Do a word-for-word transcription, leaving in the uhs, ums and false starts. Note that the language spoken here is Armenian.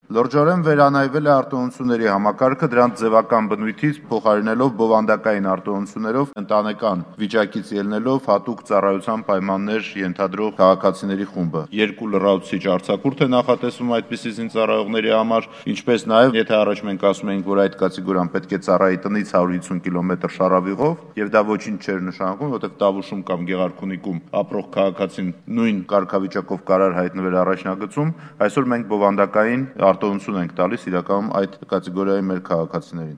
Լրջորեն վերանայվել է արտոնությունների համակարգը, դրանց ձևական բնույթից փոխարինելով բովանդակային արտոնություններով, ընտանեկան վիճակից ելնելով հատուկ ծառայության պայմաններ ենթադրող քաղաքացիների խումբը։ Երկու լրացուցիչ արձակուրդ է նախատեսվում այդպիսի զինծառայողների համար, ինչպես նաև, եթե առաջ մենք ասում էինք, որ այդ կատեգորիան պետք է ծառայի տնից հարյուր հիսուն կիլոմետր շարավիղով, եւ դա ոչինչ չէր նշանակում, որովհետեւ Տավուշում կամ Գեղարքունիքում ապրող քաղաքացին նույն կարգավիճակով կարող հայտնվել առաջնագծում, այսօր մենք բովանդակային արտոնություն ենք տալիս իրականում այդ կատեգորիայի մեր քաղաքացիներին։